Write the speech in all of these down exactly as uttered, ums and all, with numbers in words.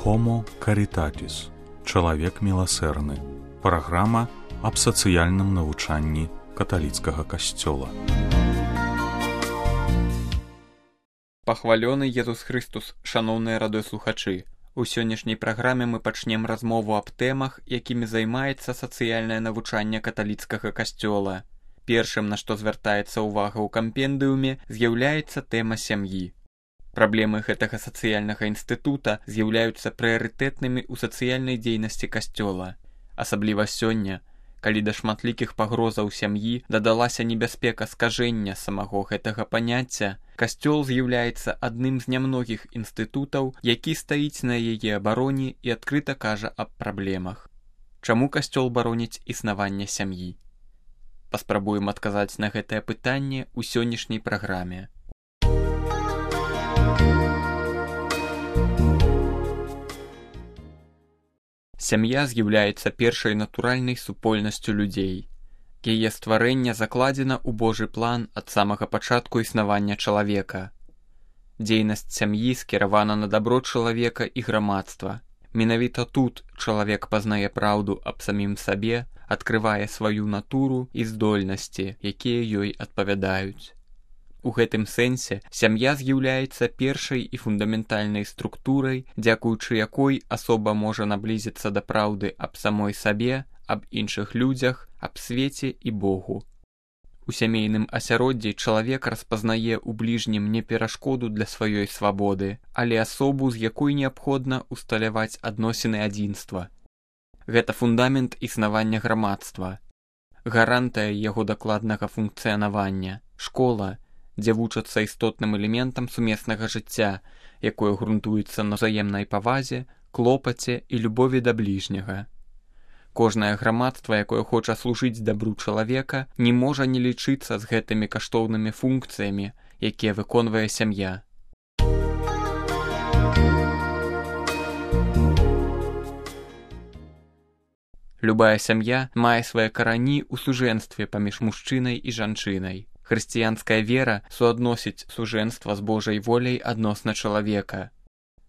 Homo Caritatis. Чалавек міласэрны. Праграма аб сацыяльным навучанні каталіцкага касцёла. Пахвалёны Езус Христус, шаноўныя радыёслухачы. У сённяшняй праграме мы пачнем размову аб тэмах, якімі займаецца сацыяльнае навучанне каталіцкага касцёла. Першым, на што звяртаецца ўвага ў кампендыуме, з'яўляецца тэма сям'і. Праблемы гэтага сацыяльнага інстытута з'яўляюцца прыярытэтнымі ў сацыяльнай дзейнасці касцёла. Асабліва сёння, калі да шматлікіх пагрозаў сям'і дадалася небяспека скажэння самого гэтага паняцця, касцёл з'яўляецца адным з нямногіх інстытутаў, які стаіць на яе абароне і адкрыта кажа аб праблемах. Чаму касцёл бароніць існаванне сям'і? Паспрабуем адказаць на гэтае пытанне ў сённяшняй праграме. Сям'я з'яўляецца першай натуральнай супольнасцю людзей. Яе стварэнне закладзена ў Божы план ад самага пачатку існавання чалавека. Дзейнасць сям'і скіравана на дабро чалавека і грамадства. Менавіта тут чалавек пазнае праўду аб самім сабе, адкрывае сваю натуру і здольнасці, якія ёй адпавядаюць. У гэтым сэнсе сям'я з'яўляецца першай і фундаментальнай структурай, дзякуючы якой асоба можа наблізіцца да праўды аб самой сабе, аб іншых людзях, аб свеце і Богу. У сямейным асяроддзі чалавек распазнае ў бліжнім не перашкоду для сваёй свабоды, але асобу, з якой неабходна усталяваць адносіны адзінства. Гэта фундамент існавання грамадства, гарантыя яго дакладнага функцыянавання, школа, дзе вучацца істотным элементам сумеснага жыцця, якое грунтуецца на ўзаемнай павазе, клопаце і любові да бліжняга. Кожнае грамадства, якое хоча служыць дабру чалавека, не можа не лічыцца з гэтымі каштоўнымі функцыямі, якія выконвае сям'я. Любая сям'я мае свае карані ў сужэнстве паміж мужчынай і жанчынай. Хрысціянская вера суадносіць сужэнства з Божай воляй адносна чалавека.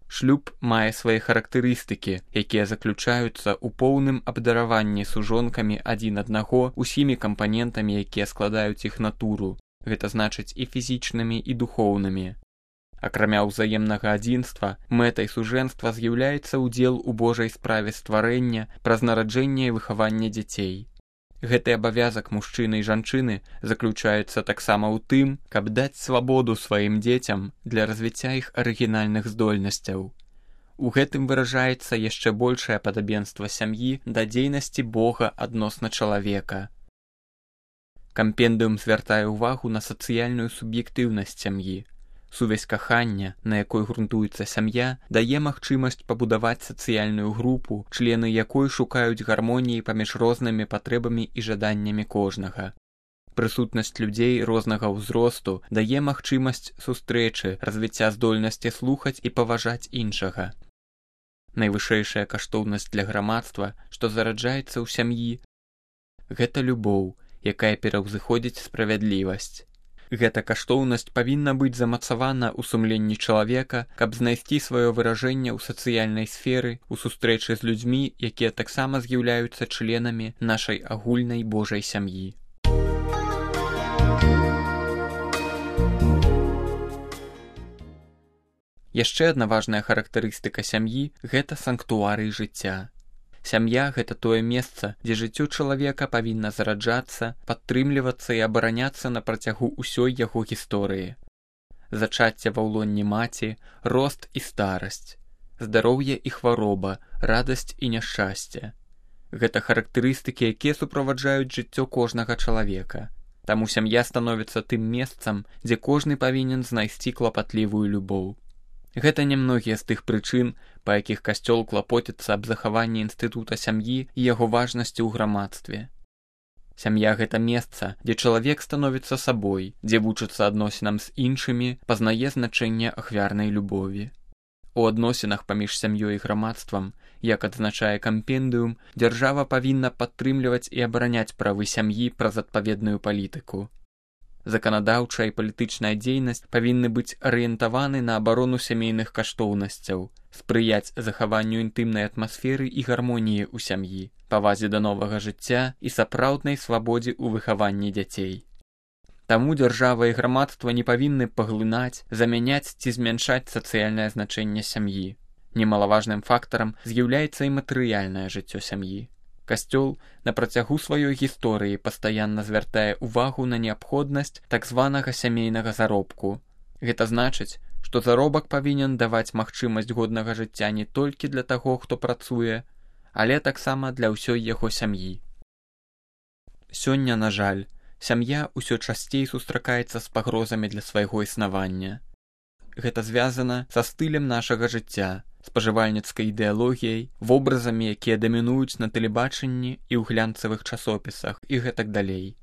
Шлюб мае свае характарыстыкі, якія заключаюцца ў поўным абдараванні сужонкамі адзін аднаго усімі кампанентамі, якія складаюць іх натуру, гэта значыць і фізічнымі, і духоўнымі. Акрамя ўзаемнага адзінства, мэтай сужэнства з'яўляецца ўдзел у Божай справе стварэння праз нараджэнне і выхаванне дзяцей. Гэты абавязак мужчыны і жанчыны заключаецца таксама ў тым, каб даць свабоду сваім дзецям для развіцця іх арыгінальных здольнасцяў. У гэтым выражаецца яшчэ большае падабенства сям'і да дзейнасці Бога адносна чалавека. Кампендыум звяртае ўвагу на сацыяльную суб'ектыўнасць сям'і. Сувязь кахання, на якой грунтуецца сям'я, дае магчымасць пабудаваць сацыяльную групу, члены якой шукаюць гармоніі паміж рознымі патрэбамі і жаданнямі кожнага. Прысутнасць людзей рознага ўзросту дае магчымасць сустрэчы, развіцця здольнасці слухаць і паважаць іншага. Найвышэйшая каштоўнасць для грамадства, што зараджаецца ў сям'і, гэта любоў, якая пераўзыходзіць справядлівасць. Гэта каштоўнасць павінна быць замацавана ў сумленні чалавека, каб знайсці сваё выражэнне ў сацыяльнай сферы, у сустрэчы з людзьмі, якія таксама з'яўляюцца членамі нашай агульнай Божай сям'і. Яшчэ адна важная характарыстыка сям'і – гэта санктуарый жыцця. Сям'я – гэта тое месца, дзе жыццё чалавека павінна зараджацца, падтрымлівацца і абараняцца на працягу ўсёй яго гісторыі. Зачацце ва ўлонні маці, рост і старасць, здароўе і хвароба, радасць і няшчасце. Гэта характарыстыкі, якія суправаджаюць жыццё кожнага чалавека. Таму сям'я становіцца тым месцам, дзе кожны павінен знайсці клапатлівую любоў. Гэта нямногія з тых прычын, па якіх касцёл клапоціцца аб захаванні інстытута сям'і і яго важнасці ў грамадстве. Сям'я – гэта месца, дзе чалавек становіцца сабой, дзе вучыцца адносінам з іншымі, пазнае значэнне ахвярнай любові. У адносінах паміж сям'ёй і грамадствам, як адзначае кампендыум, дзяржава павінна падтрымліваць і абараняць правы сям'і праз адпаведную палітыку. Заканадаўчая і палітычная дзейнасць павінны быць арыентаваны на абарону сямейных каштоўнасцяў, спрыяць захаванню інтымнай атмасферы і гармоніі ў сям'і, павазе да новага жыцця і сапраўднай свабодзе ў выхаванні дзяцей. Таму дзяржава і грамадства не павінны паглынаць, замяняць ці змяншаць сацыяльнае значэнне сям'і. Немалаважным фактарам з'яўляецца і матэрыяльнае жыццё сям'і. Касцёл на працягу сваёй гісторыі пастаянна звяртае ўвагу на неабходнасць так званага сямейнага заробку. Гэта значыць, што заробак павінен даваць магчымасць годнага жыцця не толькі для таго, хто працуе, але таксама для ўсёй яго сям'і. Сёння, на жаль, сям'я ўсё часцей сустракаецца з пагрозамі для свайго існавання. Гэта звязана са стылем нашага жыцця, спажывальніцкай ідэалогіяй, вобразамі, якія дамінуюць на тэлебачанні і ў глянцавых часопісах і гэтак далей.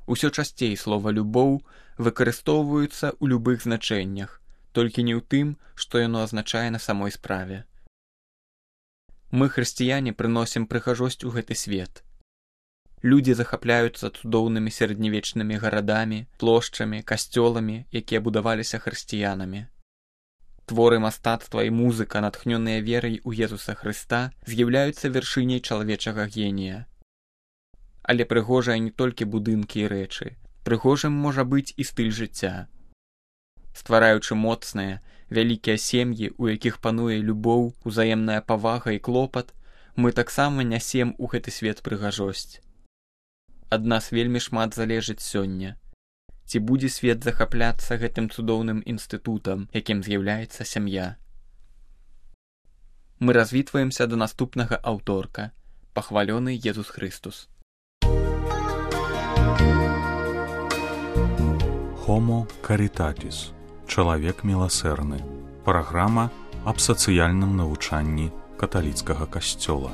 Усё часцей слова «любоў» выкарыстоўваюцца ў любых значэннях, толькі не ў тым, што яно азначае на самой справе. Мы, хрысціяне, прыносім прыгажосць у гэты свет. Людзі захапляюцца цудоўнымі сярэднявечнымі гарадамі, плошчамі, касцёламі, якія будаваліся хрысціянамі. Творы мастацтва і музыка, натхнёныя верай у Езуса Хрыста, з'яўляюцца вяршыняй чалавечага генія. Але прыгожыя не толькі будынкі і рэчы. Прыгожым можа быць і стыль жыцця. Ствараючы моцныя, вялікія сем'і, у якіх пануе любоў, узаемная павага і клопат, мы таксама нясем у гэты свет прыгажосць. Ад нас вельмі шмат залежыць сёння. Ці будзе свет захапляцца гэтым цудоўным інстытутам, якім з'яўляецца сям'я. Мы развітваемся да наступнага аўторка. Пахвалёны Езус Хрыстус. Homo Caritatis. Чалавек міласэрны. Праграма аб сацыяльным навучанні каталіцкага касцёла.